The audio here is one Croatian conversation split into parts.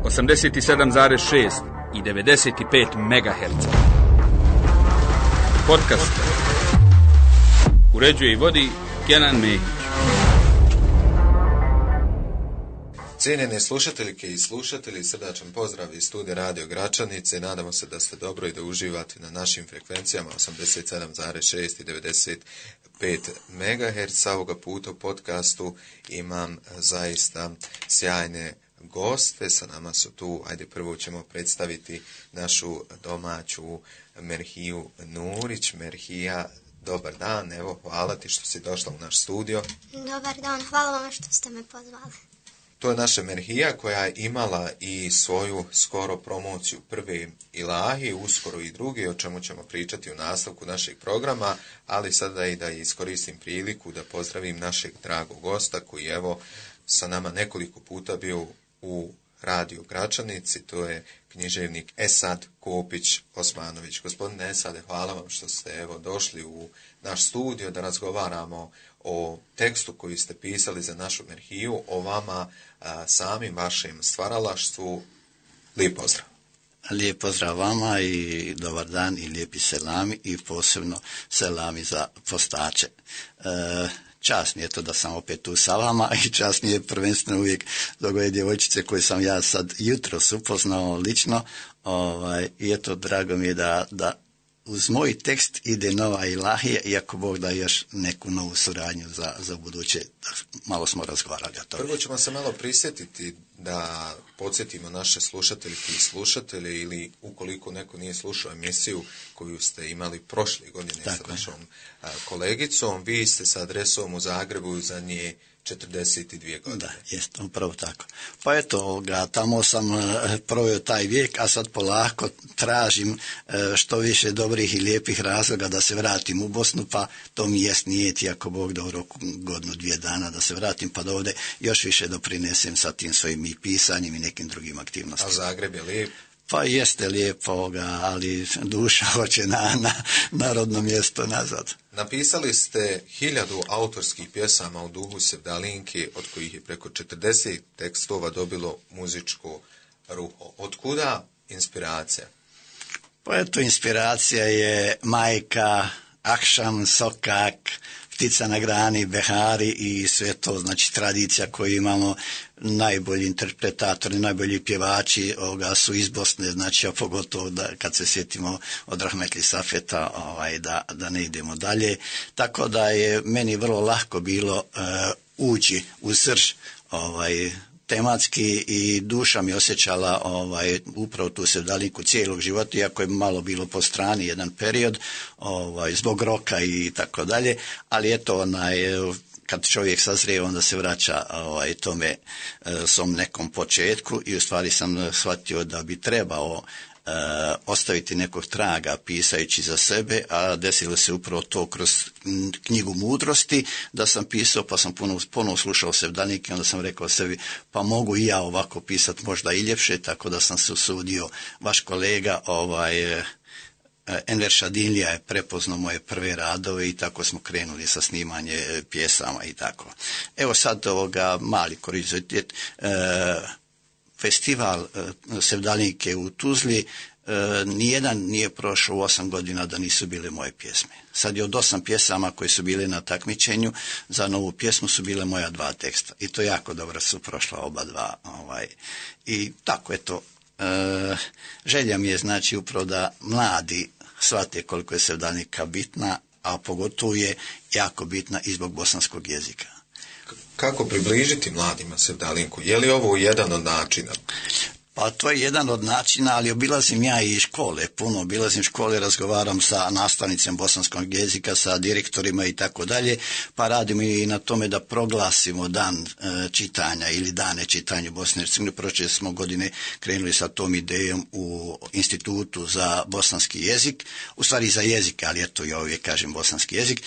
87,6 i 95 MHz. Podcast uređuje i vodi Kenan Mehić. Cijenjene slušateljke i slušatelji, srdačan pozdrav iz studija Radio Gračanice. Nadamo se da ste dobro i da uživate na našim frekvencijama 87,6 i 95 MHz. Ovoga puta u podcastu imam zaista sjajne goste. Sa nama su tu, ajde prvo ćemo predstaviti našu domaću Merhiju Nurić. Merhija, dobar dan, evo hvala ti što si došla u naš studio. Dobar dan, hvala vam što ste me pozvali. To je naša Merhija koja je imala i svoju skoro promociju prve ilahi, uskoro i druge, o čemu ćemo pričati u nastavku našeg programa, ali sada i da iskoristim priliku da pozdravim našeg dragog gosta koji je evo sa nama nekoliko puta bio u Radio Gračanici, to je književnik Esad Kopić Osmanović. Gospodine Esade, hvala vam što ste evo došli u naš studio da razgovaramo o tekstu koji ste pisali za našu Merhiju, o vama samim, vašem stvaralaštvu. Lijep pozdrav. Lijep pozdrav vama i dobar dan i lijepi selami i posebno selami za postače. Čast mi je to da sam opet tu sa vama i čast mi je prvenstveno uvijek zbog ove djevojčice koje sam ja sad jutros upoznao lično. I eto, drago mi je da uz moj tekst ide nova ilahija, iako Bog da još neku novu suradnju za buduće. Malo smo razgovarali o tome. Prvo ćemo se malo prisjetiti da podsjetimo naše slušateljke i slušatelje, ili ukoliko neko nije slušao emisiju koju ste imali prošle godine sa našom kolegicom, vi ste sa adresom u Zagrebu za nje 42 godine. Da, jest, upravo tako. Pa eto, tamo sam proveo taj vijek, a sad polako tražim što više dobrih i lijepih razloga da se vratim u Bosnu, pa to mi jest nijeti, ako Bog da u roku godinu, 2 dana da se vratim, pa da ovdje još više doprinesem sa tim svojim i pisanjem i nekim drugim aktivnostima. A Zagreb je lijep? Pa jeste lijepo, ali duša hoće na rodno mjesto nazad. Napisali ste 1000 autorskih pjesama u duhu sevdalinke, od kojih je preko 40 tekstova dobilo muzičko ruho. Otkuda inspiracija? Pa eto, inspiracija je majka, akšam, sokak, ptica na grani, behari i sve to, znači tradicija koju imamo. Najbolji interpretatori, najbolji pjevači su iz Bosne, znači a pogotovo kad se sjetimo od Rahmetli Safeta, da ne idemo dalje. Tako da je meni vrlo lako bilo ući u srž tematski i duša mi osjećala upravo tu sevdalinku cijelog života, iako je malo bilo po strani jedan period zbog roka i tako dalje, ali eto kad čovjek sazrije onda se vraća tome svom nekom početku i u stvari sam shvatio da bi trebao ostaviti nekog traga pisajući za sebe, a desilo se upravo to kroz knjigu mudrosti, da sam pisao pa sam ponovo slušao sevdalinke, onda sam rekao sebi pa mogu i ja ovako pisati, možda i ljepše, tako da sam se usudio. Vaš kolega Enver Šadinlija je prepoznao moje prve radove i tako smo krenuli sa snimanje pjesama i tako. Evo sad mali kuriozitet, festival sevdalinke u Tuzli, nijedan nije prošao u 8 godina da nisu bile moje pjesme. Sad je od 8 pjesama koje su bile na takmičenju, za novu pjesmu su bile moja 2 teksta. I to jako dobro su prošla oba 2. I tako eto, želja mi je znači upravo da mladi shvate koliko je sevdalinka bitna, a pogotovo je jako bitna i zbog bosanskog jezika. Kako približiti mladima sevdalinku? Je li ovo jedan od načina? Pa to je jedan od načina, ali obilazim ja i škole, puno obilazim škole, razgovaram sa nastavnicima bosanskog jezika, sa direktorima i tako dalje, pa radimo i na tome da proglasimo dan čitanja ili dane čitanja Bosne i Hercegovine. Prošle smo godine krenuli sa tom idejom u Institutu za bosanski jezik, u stvari za jezike, ali eto ja uvijek kažem bosanski jezik,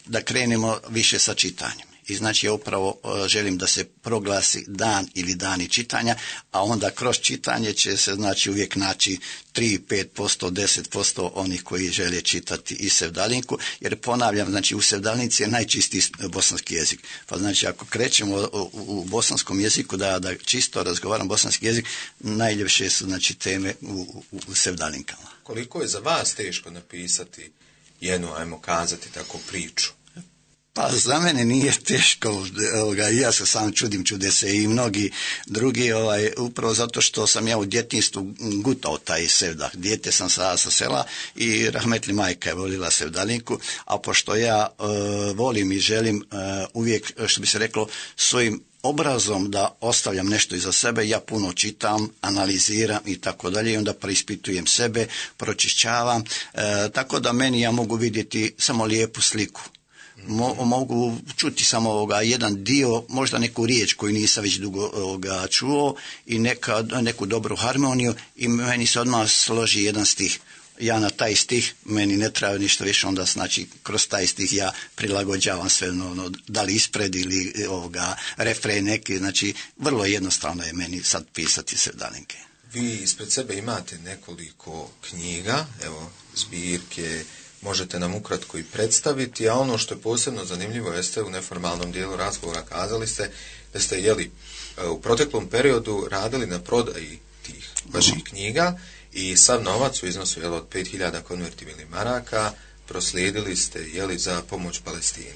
da krenemo više sa čitanjem. I znači ja upravo želim da se proglasi dan ili dani čitanja, a onda kroz čitanje će se znači uvijek naći 3, 5%, 10% onih koji žele čitati i sevdalinku, jer ponavljam, znači u sevdalinci je najčistiji bosanski jezik. Pa znači ako krećemo u bosanskom jeziku da čisto razgovaram bosanski jezik, najljepše su znači teme u sevdalinkama. Koliko je za vas teško napisati jednu, ajmo kazati tako, priču? Pa za mene nije teško, ja se sam čude se i mnogi drugi, upravo zato što sam ja u djetinjstvu gutao taj sevdah. Dijete sam sa sela i rahmetli majka je volila sevdalinku, a pošto ja volim i želim uvijek, što bi se reklo, svojim obrazom da ostavljam nešto iza sebe, ja puno čitam, analiziram i tako dalje i onda preispitujem sebe, pročišćavam, tako da meni ja mogu vidjeti samo lijepu sliku. Mogu čuti samo jedan dio, možda neku riječ koju nisam već dugo čuo i neku dobru harmoniju i meni se odmah složi jedan stih. Ja na taj stih, meni ne treba ništa više, onda znači kroz taj stih ja prilagođavam sve, da li ispred ili refren neki, znači vrlo jednostavno je meni sad pisati sevdalinke. Vi ispred sebe imate nekoliko knjiga, evo zbirke, možete nam ukratko i predstaviti, a ono što je posebno zanimljivo jeste u neformalnom dijelu razgovora kazali ste da ste u proteklom periodu radili na prodaji tih vaših knjiga i sav novac u iznosu od 5.000 konvertibilnih maraka proslijedili ste za pomoć Palestini.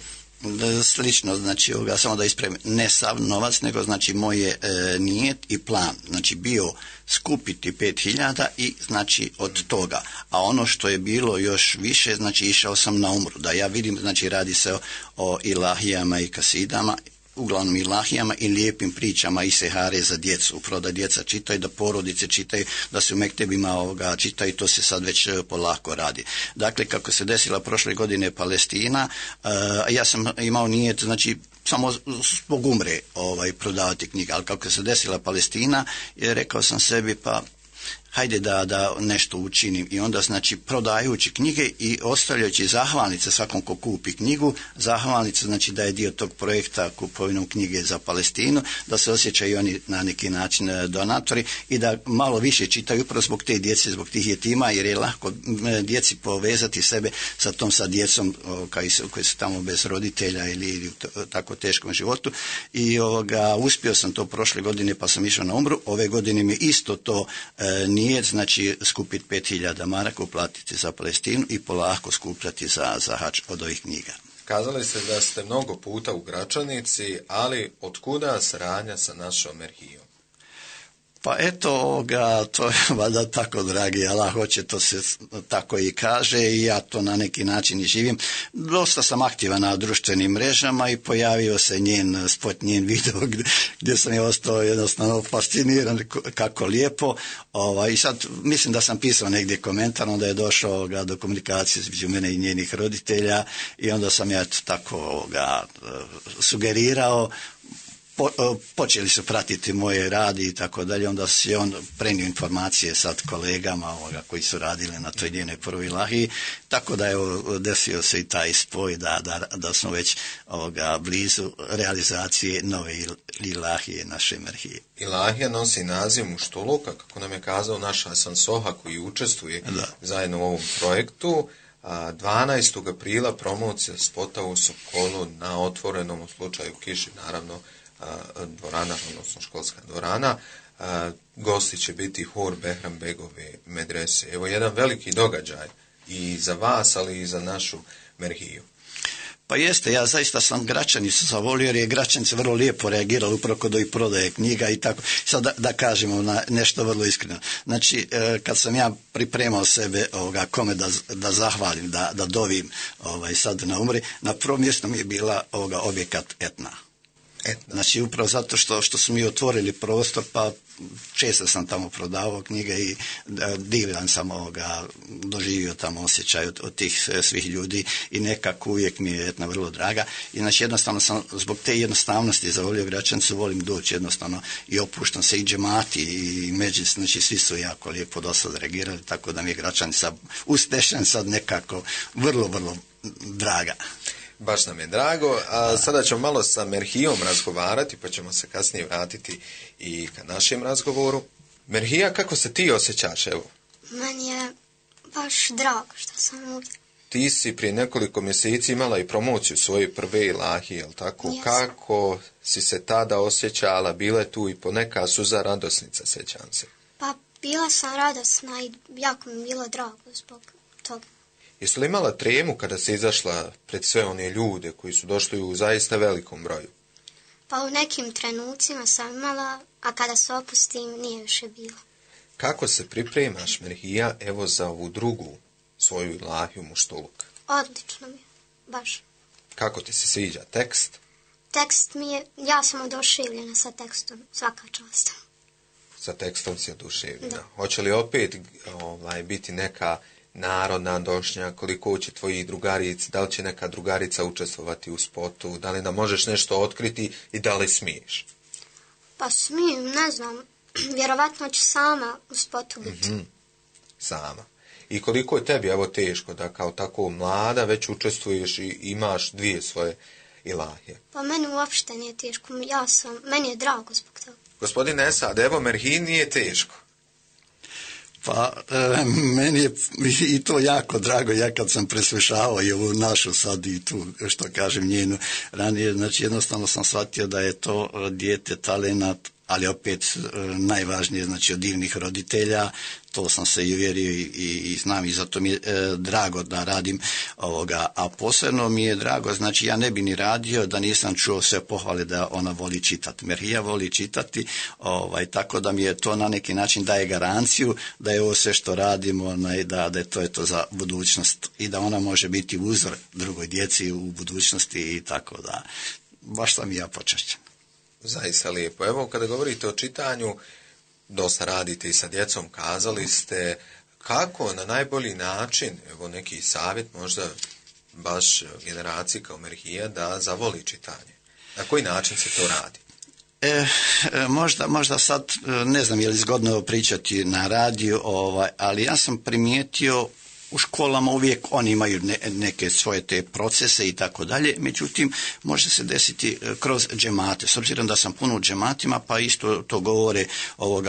Slično, znači samo da ispravim, ne sav novac, nego znači moje nijet i plan, znači bio skupiti 5.000 i znači od toga, a ono što je bilo još više, znači išao sam na umru, da ja vidim, znači radi se o ilahijama i kasidama, uglavnom ilahijama i lijepim pričama i sehare za djecu, upravo da djeca čitaju, da porodice čitaju, da se u mektebima čitaju, to se sad već polako radi. Dakle, kako se desila prošle godine Palestina, ja sam imao nijet, znači samo zbog umre prodavati knjige, ali kako se desila Palestina, rekao sam sebi pa hajde da nešto učinim i onda znači prodajući knjige i ostavljajući zahvalnice svakom ko kupi knjigu, zahvalnice znači da je dio tog projekta kupovinom knjige za Palestinu, da se osjećaju oni na neki način donatori i da malo više čitaju upravo zbog te djece, zbog tih jetima, jer je lako djeci povezati sebe sa djecom koji su tamo bez roditelja ili u tako teškom životu i uspio sam to prošle godine pa sam išao na umru, ove godine mi isto to nije, znači skupiti 5.000 maraka, uplatiti za Palestinu i polako skupljati za hač od ovih knjiga. Kazali ste da ste mnogo puta u Gračanici, ali otkuda saradnja sa našom arhivom? Pa eto, to je valjda tako, dragi Allah, hoće, to se tako i kaže i ja to na neki način i živim. Dosta sam aktivan na društvenim mrežama i pojavio se njen spot, njen video gdje sam je ostao jednostavno fasciniran kako lijepo. I sad mislim da sam pisao negdje komentar, onda je došao do komunikacije između mene i njenih roditelja i onda sam ja tako sugerirao. Počeli su pratiti moje radi i tako dalje, onda se on prenio informacije sad kolegama koji su radili na toj njenoj prvoj ilahiji, tako da je desio se i taj spoj da smo već blizu realizacije nove ilahije naše arhije. Ilahija nosi naziv Muštuluka, kako nam je kazao naš Hasan Soha koji učestvuje zajedno u ovom projektu. 12. aprila promocija spota u Sokolu na otvorenom, u slučaju kiši naravno, dvorana, odnosno školska dvorana. Gosti će biti hor Behram Begove medrese. Evo jedan veliki događaj i za vas, ali i za našu merhiju. Pa jeste, ja zaista sam Gračanicu zavolio jer je Gračanice vrlo lijepo reagirala upravo kod ovih prodaje knjiga i tako. Sad da kažemo nešto vrlo iskreno. Znači, kad sam ja pripremao sebe kome da zahvalim, da dovim sad na umri, na prvom mjestu mi je bila objekat Etna. Znači upravo zato što su mi otvorili prostor, pa često sam tamo prodavao knjige i divan sam doživio tamo osjećaj od tih svih ljudi i nekako uvijek mi je Etna vrlo draga i znači jednostavno sam zbog te jednostavnosti zavolio Gračanicu, volim doći jednostavno i opuštam se i džemati i među, znači svi su jako lijepo dosad reagirali, tako da mi je Gračanica uz Tešanj sad nekako vrlo, vrlo draga. Baš nam je drago. A sada ćemo malo sa Merhijom razgovarati, pa ćemo se kasnije vratiti i ka našem razgovoru. Merhija, kako se ti osjećaš, evo? Meni je baš drago što sam ovdje. Ti si prije nekoliko mjeseci imala i promociju svoje prve ilahije, jel tako? Jesam. Kako si se tada osjećala? Bila je tu i poneka suza radosnica, sjećam se. Pa bila sam radosna i jako mi bilo drago zbog toga. Jesi li imala tremu kada si izašla pred sve one ljude koji su došli u zaista velikom broju? Pa u nekim trenucima sam imala, a kada se opustim nije više bilo. Kako se pripremaš, Merhija, evo za ovu drugu svoju ilahiju Muštuluk? Odlično mi je, baš. Kako ti se sviđa tekst? Tekst mi je, ja sam oduševljena sa tekstom, svaka čast. Sa tekstom si oduševljena. Da. Hoće li opet biti neka narodna došnja, koliko će tvojih drugarica, da li će neka drugarica učestvovati u spotu, da li nam možeš nešto otkriti i da li smiješ? Pa smijem, ne znam, vjerovatno ću sama u spotu biti. Sama. I koliko je tebi evo teško da kao tako mlada već učestvuješ i imaš dvije svoje ilahije? Pa meni uopšte nije teško, meni je drago zbog toga. Gospodine Esad, evo Merhiji nije teško. Pa, meni je i to jako drago, ja kad sam preslušavao i ovu našu sad i tu, što kažem, njenu ranije, znači jednostavno sam shvatio da je to dijete talenat, ali opet najvažnije, znači od divnih roditelja, to sam se i uvjerio i znam i zato mi je drago da radim ovoga, a posebno mi je drago, znači ja ne bi ni radio da nisam čuo sve pohvale da ona voli čitati. Merhija voli čitati, tako da mi je to na neki način daje garanciju da je ovo sve što radimo, da je to za budućnost i da ona može biti uzor drugoj djeci u budućnosti i tako da, baš sam i ja počašćen. Zaista lijepo. Evo, kada govorite o čitanju, dosta radite i sa djecom, kazali ste kako na najbolji način, evo neki savjet možda baš generaciji kao Merhija da zavoli čitanje. Na koji način se to radi? Možda sad, ne znam je li zgodno pričati na radiju, ali ja sam primijetio u školama uvijek oni imaju neke svoje te procese i tako dalje, međutim može se desiti kroz džemate. S obzirom da sam puno u džematima, pa isto to govore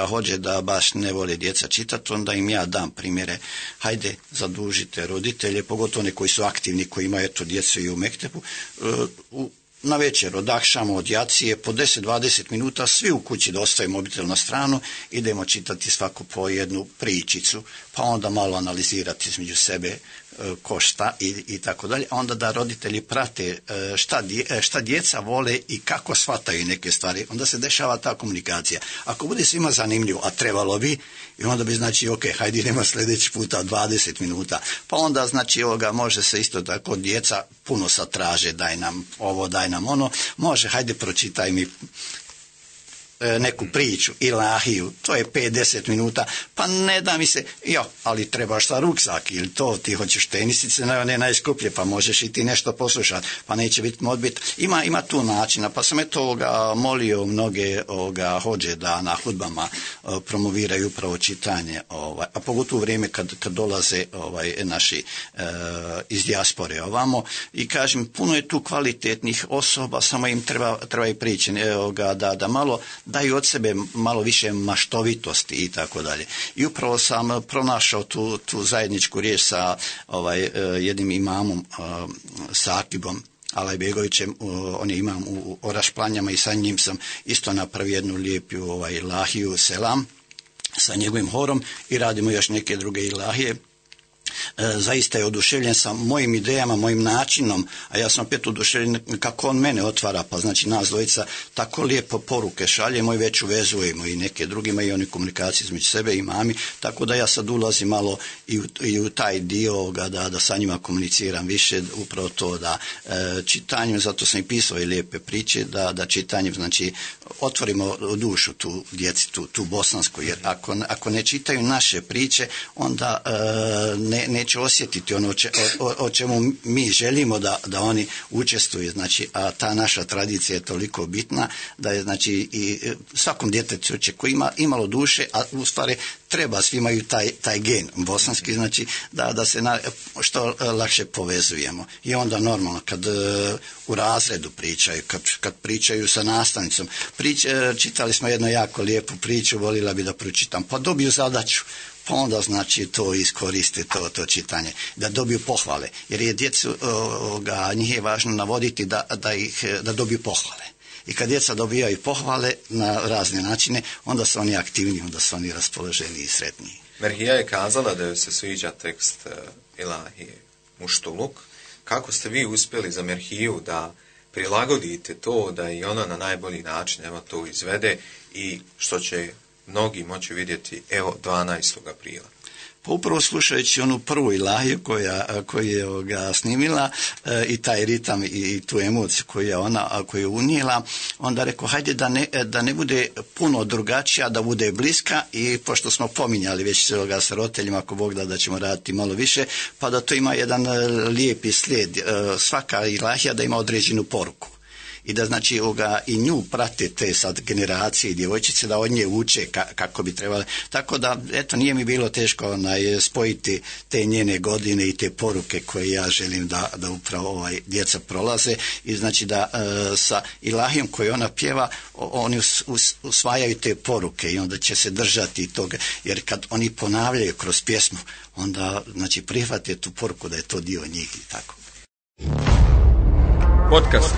hođe da baš ne vole djeca čitati, onda im ja dam primjere. Hajde, zadužite roditelje, pogotovo one koji su aktivni, koji imaju djecu i u mektebu, na večer od akšama, od jacije, po 10-20 minuta, svi u kući da ostavimo mobitel na stranu, idemo čitati svako po jednu pričicu, pa onda malo analizirati između sebe ko šta i tako dalje, a onda da roditelji prate šta djeca vole i kako shvataju neke stvari, onda se dešava ta komunikacija. Ako bude svima zanimljivo, a trebalo bi, i onda bi znači, ok, hajde idemo sljedeći puta 20 minuta, pa onda znači može se isto tako, djeca puno sad traže, daj nam ovo, daj nam ono, može, hajde pročitaj mi neku priču, ilahiju, to je 5-10 minuta, pa ne da mi se, ali trebaš sa ruksak ili to, ti hoćeš tenisice, ne najskuplje, pa možeš i ti nešto poslušati, pa neće biti modbit. Ima tu načina, pa sam molio mnoge hođe da na hudbama promoviraju upravo čitanje, a pogotovo u vrijeme kad dolaze naši iz dijaspore ovamo, i kažem, puno je tu kvalitetnih osoba, samo im treba i prići, da malo daju od sebe malo više maštovitosti i tako dalje. I upravo sam pronašao tu zajedničku riječ sa jednim imamom, Sakibom Alajbegovićem, on je imam u Orašplanjama, i sa njim sam isto napravio jednu lijepu ilahiju Selam sa njegovim horom i radimo još neke druge ilahije. Zaista je oduševljen sa mojim idejama, mojim načinom, a ja sam opet oduševljen kako on mene otvara, pa znači nas dvojica tako lijepo poruke šaljemo i već uvezujemo i neke drugima i oni komunikaciju između sebe i mami, tako da ja sad ulazim malo i u taj dio da sa njima komuniciram više, upravo to da čitanjem, zato sam i pisao i lijepe priče, da čitanjem znači otvorimo dušu tu djeci, tu bosansku, jer ako ne čitaju naše priče, onda neće osjetiti ono o čemu mi želimo da oni učestvuju. Znači, a ta naša tradicija je toliko bitna da je, znači, i svakom djetetu koji ima imalo duše, a u stvari treba, svi imaju taj gen bosanski, znači da se što lakše povezujemo. I onda normalno kad u razredu pričaju, kad pričaju sa nastavnicom, čitali smo jednu jako lijepu priču, volila bi da pročitam, pa dobiju zadaću, pa onda znači to iskoriste to čitanje, da dobiju pohvale, jer je djecu, njih je važno navoditi da dobiju pohvale. I kad djeca dobijaju pohvale na razne načine, onda su oni aktivniji, onda su oni raspoloženiji i sretniji. Merhija je kazala da joj se sviđa tekst Ilahije Muštuluk. Kako ste vi uspjeli za Merhiju da prilagodite to, da i ona na najbolji način to izvede i što će mnogi moći vidjeti 12. aprila? Pa upravo slušajući onu prvu ilahiju koju je snimila i taj ritam i tu emociju koju je unijela, onda rekao hajde da ne bude puno drugačija, da bude bliska, i pošto smo pominjali već sa roditeljima, ako Bog da ćemo raditi malo više, pa da to ima jedan lijepi slijed, svaka ilahija da ima određenu poruku. I da znači i nju prate te sad generacije i djevojčice, da od nje uče kako bi trebali. Tako da, eto, nije mi bilo teško spojiti te njene godine i te poruke koje ja želim da upravo djeca prolaze. I znači da sa ilahijom koju ona pjeva, oni usvajaju te poruke i onda će se držati toga. Jer kad oni ponavljaju kroz pjesmu, onda znači prihvate tu poruku da je to dio njih i tako. Podcast.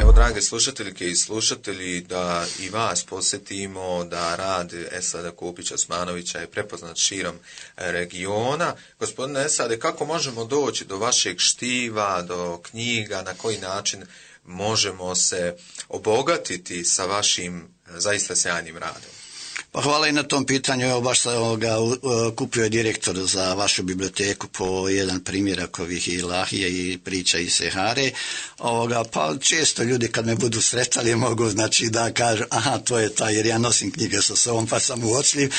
Evo, drage slušateljke i slušatelji, da i vas posjetimo da rad Esada Kopića Osmanovića je prepoznat širom regiona. Gospodine Esade, kako možemo doći do vašeg štiva, do knjiga, na koji način možemo se obogatiti sa vašim zaista sjajnim radom? Pa hvala i na tom pitanju. Evo, baš sam kupio je direktor za vašu biblioteku po jedan primjerak ovih ilahija i priča iz Sehare. Pa često ljudi kad me budu sretali mogu znači da kažu aha, to je taj, jer ja nosim knjige sa sobom pa sam uočljiv,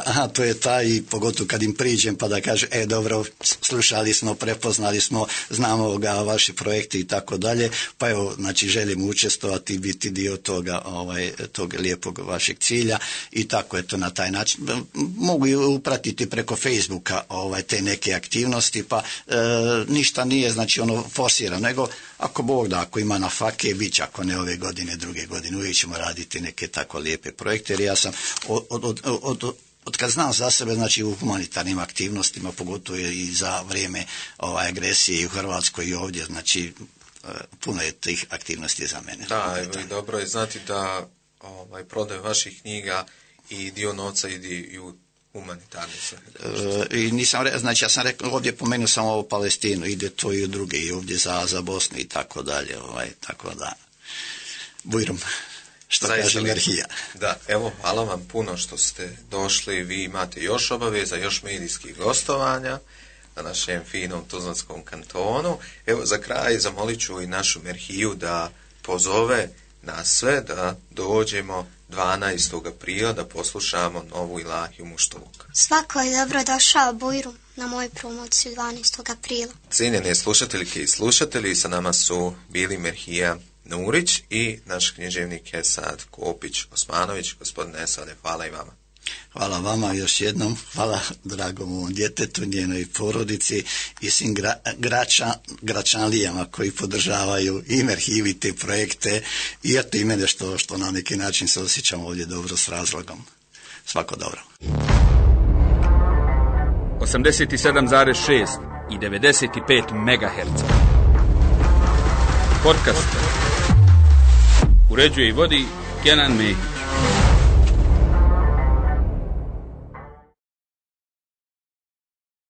aha, to je taj, i pogotovo kad im priđem pa da kažu dobro, slušali smo, prepoznali smo, znamo vaši projekti i tako dalje, pa evo, znači želim učestvovati i biti dio tog lijepog vašeg cilja. I tako, eto, na taj način mogu i upratiti preko Facebooka te neke aktivnosti, pa ništa nije znači forsirano, nego ako Bog da, ako ima na fake, bit će, ako ne ove godine, druge godine, uvijek ćemo raditi neke tako lijepe projekte, jer ja sam od kad znam za sebe, znači u humanitarnim aktivnostima, pogotovo i za vrijeme agresije i u Hrvatskoj i ovdje, znači puno je tih aktivnosti za mene. Da, evo, i dobro je znati da prodaju vaših knjiga i dio novca ide i u humanitarne svrhe. I nisam znači ja sam rekao, ovdje pomenuo sam ovo Palestinu, ide to i u druge, i ovdje za Bosnu i tako dalje, tako da bujrum, što kaže Merhija. Da, evo, hvala vam puno što ste došli, vi imate još obaveza, još medijskih gostovanja na našem finom Tuzlanskom kantonu. Evo, za kraj zamolit ću i našu Merhiju da pozove nas sve da dođemo 12. aprila da poslušamo novu ilahiju Muštuluk. Svako je dobro došao Bujrum na moju promociju 12. aprila. Cijenjene slušateljke i slušatelji, sa nama su bili Merhija Nurić i naš književnik Esad Kopić Osmanović. Gospodine Esade, hvala i vama. Hvala vama još jednom, hvala dragom ovom djetetu, njenoj porodici i svim gračanlijama koji podržavaju i Merhiju i te projekte, i eto i mene što na neki način se osjećam ovdje dobro s razlogom. Svako dobro. 87,6 i 95 MHz. Podcast. Uređuje i vodi Kenan Mehić.